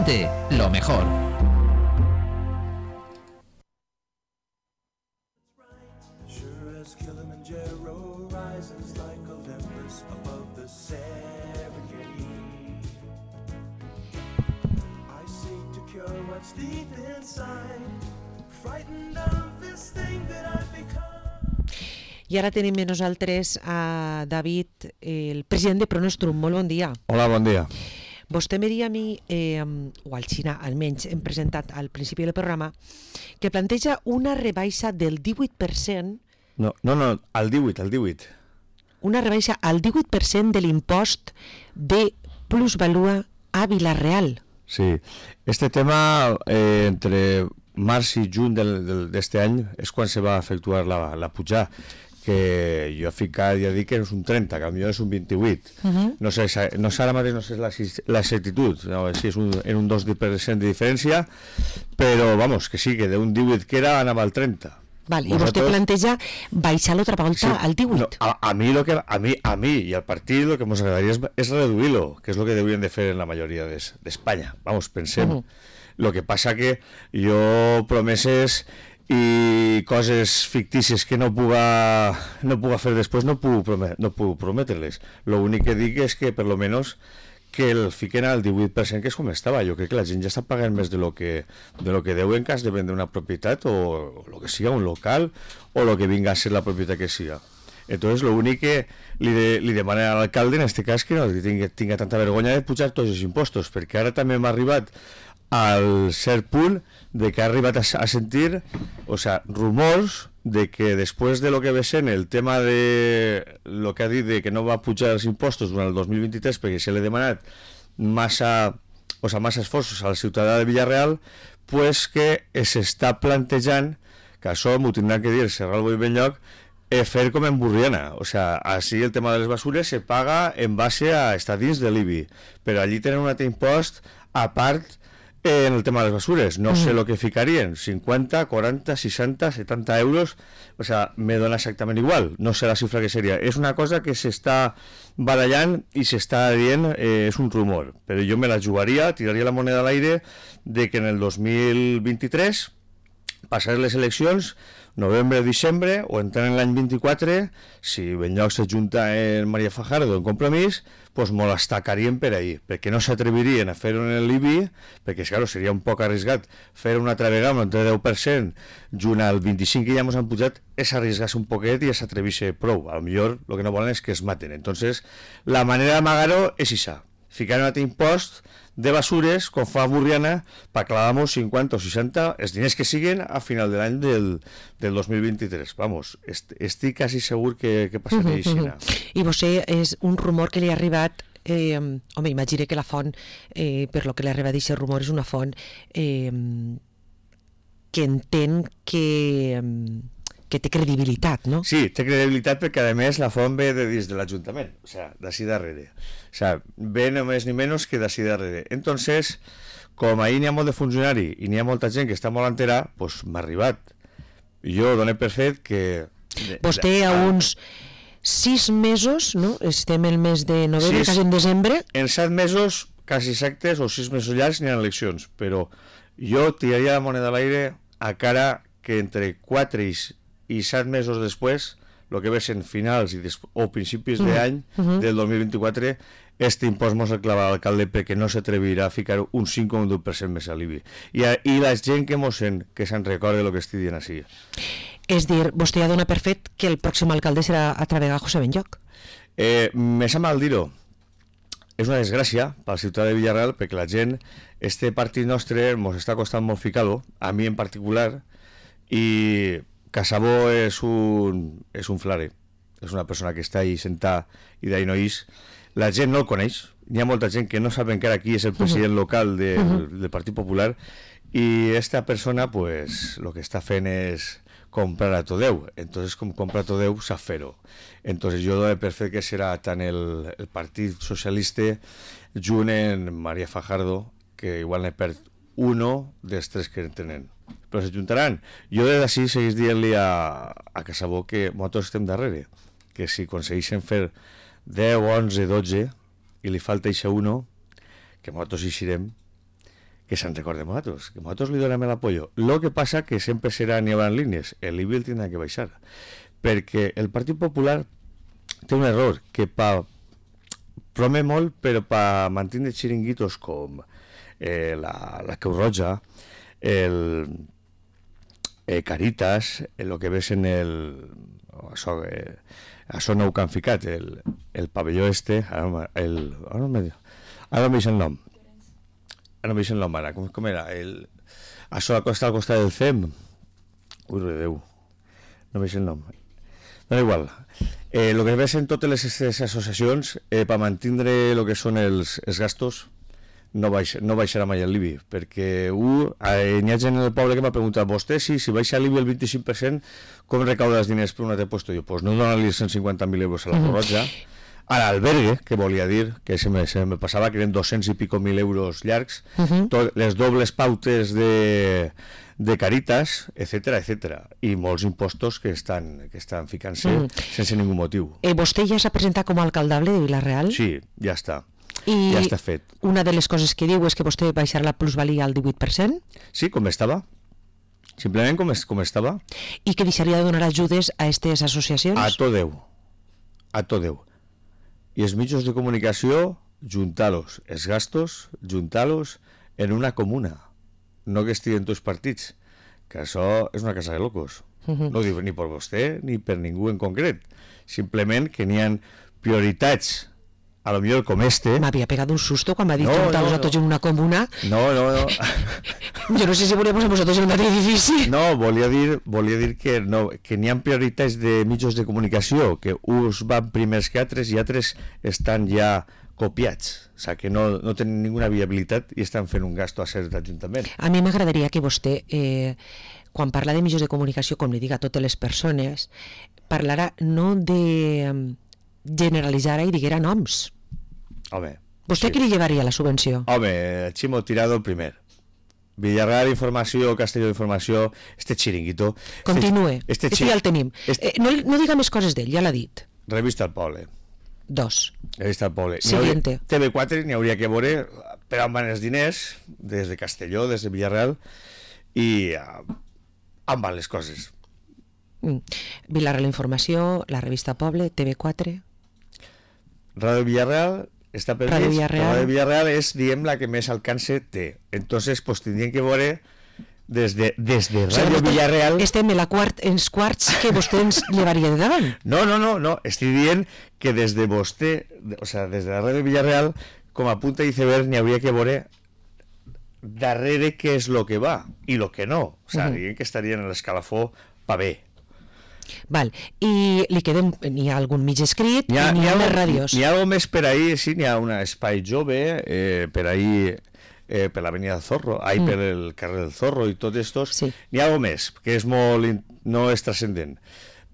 Lo mejor. I ara tenim amb nosaltres a David, el president de Pronostrum. Molt bon dia. Hola, bon dia. Vostè me dia a mi, o al Xina almenys, hem presentat al principi del programa, que planteja una rebaixa del 18%. No, al 18. Una rebaixa al 18% de l'impost de plusvalua a Vila-real. Sí, este tema entre març i juny d'este any és quan se va efectuar la pujada, que jo cada dia dic que és un 30, que potser és un 28. No sé ara mateix, no sé l'exactitud, no, si és en un 2% de diferència, però vamos, que sí, que d'un 18 que era anava al 30. Val, i vostè planteja baixar l'altra volta al 18. No, a mi i al partit el que ens agradaria és reduir-lo, que és el que deurien de fer en la majoria d'Espanya. Vamos, pensem. Lo que passa que jo promeses i coses fictícies que no puga fer després no puc prometre-les. L'únic que dic és que per lo menos que el fiquen al 18%, que és com estava. Jo crec que la gent ja està pagant més de lo que deu en cas de vendre una propietat o lo que siga, un local, o lo que vinga a ser la propietat que siga. Entonces, lo únic que li demanen a l'alcalde, en este cas, que no tinga tanta vergonya de pujar tots els impostos, perquè ara també m'ha arribat al cert punt de que ha arribat a sentir, rumors de que després de lo que ve sent el tema de lo que ha dit de que no va pujar els impostos durant el 2023 perquè se l'ha demanat massa esforços a la ciutadà de Vila-real, pues que s'està plantejant, que això m'ho tindran que dir Serral Boi Benlloc, fer com en Burriana. Així el tema de les basures se paga en base a estar dins de l'IBI, però allí tenen un altre impost a part en el tema de les basures. No sé el que ficarien, 50, 40, 60, 70 euros, me dona exactament igual, no sé la xifra que seria. És una cosa que s'està barallant i s'està dient, és un rumor, però jo me la jugaria, tiraria la moneda a l'aire de que en el 2023 passar les eleccions, novembre o diciembre, o entrar en l'any 24, si Benlloc s'ajunta en Maria Fajardo en Compromís, pues me l'estacarien per ahí, perquè no s'atrevirien a fer-ho en l'IBI, perquè claro, seria un poc arriscat fer una altra vegada amb el 10%, junt al 25% que ja ens han pujat, és arriesgar-se un poquet i s'atrevir-se prou. A lo millor el que no volen és que es maten. Entonces, la manera d'amagar-ho és això, ficar un altre impost de basures, com fa Burriana, per clavar-nos 50 o 60, els diners que siguin a final de l'any del 2023. Vamos, estic quasi segur que passaria així. I vostè és un rumor que li ha arribat, home, imagine que la font, per lo que li ha arribat aquest rumor, és una font que entén que té credibilitat, no? Sí, té credibilitat perquè a més la font ve de dins de l'Ajuntament, d'ací darrere. Ve només ni menys que d'ací darrere. Entonces, com ahir n'hi ha molt de funcionari i n'hi ha molta gent que està molt entera, doncs m'ha arribat. Jo doné per fet que... Vostè a uns 6 mesos, no? Estem el mes de novembre, quasi en desembre. En 7 mesos, quasi exactes, o 6 mesos llargs, n'hi ha eleccions, però jo tiraria la moneda a l'aire a cara que entre 4 i 7 mesos després, el que ve sent finals o principis d'any del 2024, este impost mos el clava l'alcalde perquè no s'atrevirà a ficar un 5 o un 10% més a l'IBI. I la gent que mos sent, que se'n recorda el que estic dient així. És dir, vostè ja dona per fet que el pròxim alcalde serà a travegà José Benlloc. Me sap mal dir-ho. És una desgràcia per la ciutat de Vila-real perquè la gent, este partit nostre, mos està costant molt ficar-lo, a mi en particular, i Casabó és un flare, és una persona que està ahí sentada i d'ahí no ix. La gent no el coneix, n'hi ha molta gent que no sap encara qui és el president local del Partit Popular, i esta persona, pues, lo que està fent és comprar a tot Déu. Entonces, com compra a tot Déu, sap fer-ho. Entonces, jo dono per fet que serà tant el Partit Socialista junt en Maria Fajardo, que igual n'he perd uno dels 3 que tenen. Però s'ajuntaran. Jo des d'ací seguís dient-li a Casabó que nosaltres estem darrere, que si aconsegueixen fer 10, 11, 12 i li falta eixe uno, que nosaltres hi serem, que se'n recorden nosaltres, que nosaltres li donem l'apoyo. Lo que passa que sempre n'hi haurà línies, l'IBI el tindrà que baixar, perquè el Partit Popular té un error, que promet molt, però per mantenir xiringuitos com la Creu Roja, Caritas, el que ves en això nou que han ficat, el pavelló ara no em veig el nom. Ara no em veig el nom, ara. Com era? Això al costat del CEM. Ui, Déu. No em veig el nom. No, igual. El que ves en totes les associacions, per mantenir el que són els gastos, no baixarà mai el l'IBI, perquè n'hi ha gent en el poble que m'ha preguntat, vostè si baixa l'IBI el 25%, com recauda els diners per un altre puesto? Jo, doncs no donar-li 150.000 euros a la Creu Roja, a l'albergue, que volia dir, que se me passava que eren 200 i pico mil euros llargs, les dobles pautes de Caritas, etcètera, i molts impostos que estan ficant-se sense ningú motiu. Vostè ja s'ha presentat com a alcaldable de Vila-real? Sí, ja està. I ja està fet. Una de les coses que diu és que vostè baixarà la plusvalia al 18%? Sí, com estava. Simplement com estava. I que deixaria de donar ajudes a aquestes associacions? A tot Déu. I els mitjans de comunicació, juntar-los. Els gastos, juntar-los en una comuna. No que estiguen tots partits. Que això és una casa de locos. No ho diu ni per vostè ni per ningú en concret. Simplement que n'hi ha prioritats, a lo millor com M'havia pegat un susto quan m'ha dit juntar-los a tots en una comuna. No. Jo no sé si volíem posar tots en el mateix edifici. No, volia dir que n'hi ha prioritats de mitjans de comunicació, que uns van primers que altres i altres estan ja copiats. O sigui, que no tenen ninguna viabilitat i estan fent un gasto a cert ajuntament. A mi m'agradaria que vostè, quan parla de mitjans de comunicació, com li dic a totes les persones, parlarà no de generalitzar i diguera noms. Home, vostè qui li llevaria la subvenció? Home, Chimo Tirado el primer. Villarreal Informació, Castelló Informació, chiringuito. Continue, ja el tenim. No diga més coses d'ell, ja l'ha dit. Revista El Poble. 2. Revista El Poble. Siguiente. TV4 n'hi hauria que veure per on van els diners, des de Castelló, des de Villarreal, i on van les coses. Villarreal Informació, la Revista Poble, TV4... Radio Villarreal està per Radio mig. Villarreal. Radio Villarreal és, diguem, la que més alcance té. Entonces, pues tindrien que veure des de Radio Villarreal... Estem en quarts que vostè ens llevaria de davant. No. Estic dient que des de vostè, o sea, des de la Radio Villarreal, com a punta d'iceberg, n'hi hauria que veure darrere què és lo que va i lo que no. O sea, diguem que estarien en l'escalafó pa bé. Val, i n'hi ha algun mig escrit i n'hi ha les ràdios. N'hi ha algo més per ahí, sí, n'hi ha un espai jove per ahí, per l'avenida del Zorro, per el carrer del Zorro i tot estos. Sí. N'hi ha algo més, que és molt, no és transcendent,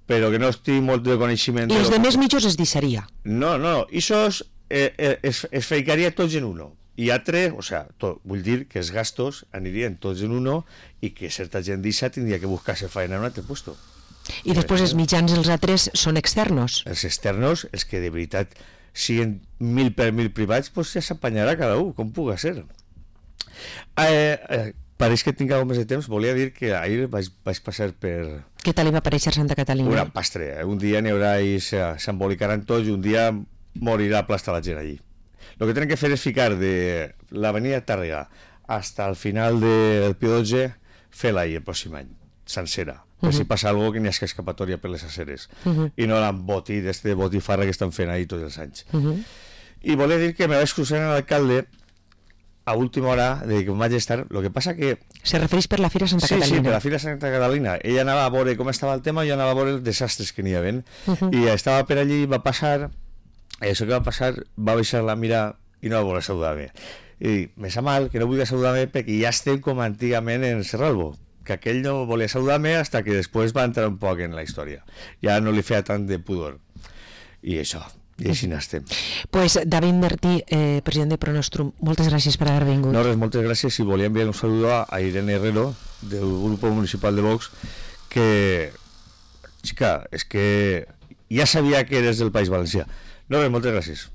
però que no estic molt de coneixement. I els de més mitjos es deixaria? No, això es ficaria tots en uno. I altre, o sea, vull dir que els gastos anirien tots en uno i que certa gent d'Issa tindria que buscar-se feina en un altre puesto. I després els mitjans, els altres, són externos? Els externos, els que de veritat siguin 1000 per 1000 privats, pues ja s'apanyarà cada un, com puga ser. Pareix que tinc alguna més de temps. Volia dir que ahir vaig passar per... Què tal li va aparèixer Santa Catalina? Una pastre. Un dia n'hi haurà i s'embolicaran tots i un dia morirà aplastar la gent allí. Lo que tenen que fer és ficar de l'avenida Tàrrega hasta el final del Pío XII, fer-la ahir el pròxim any, sencera. Per si passa alguna cosa que n'hi ha escapatòria per les aceres i no l'emboti de botifarra que estan fent ahir tots els anys. I volia dir que me vaig cruzar amb l'alcalde a última hora de que vaig estar. Lo que passa que... Se refereix per la Fira Santa Catalina? Sí, per la Fira Santa Catalina. Ella anava a veure com estava el tema i jo anava a veure els desastres que n'hi havia. I estava per allí, va passar, això que va passar, va baixar la mira i no va voler saludar-me. I me sap mal que no volia saludar-me perquè ja estem com antigament en Serralbo, que aquell no volia saludar-me hasta que després va entrar un poc en la història. Ja no li feia tant de pudor. I això, i així n'estem. Pues David Martí, president de Pronostrum, moltes gràcies per haver vingut. No, res, moltes gràcies, i volia enviar un saludo a Irene Herrero, del Grupo Municipal de Vox, que, xica, és que ja sabia que eres del País Valencià. No, res, moltes gràcies.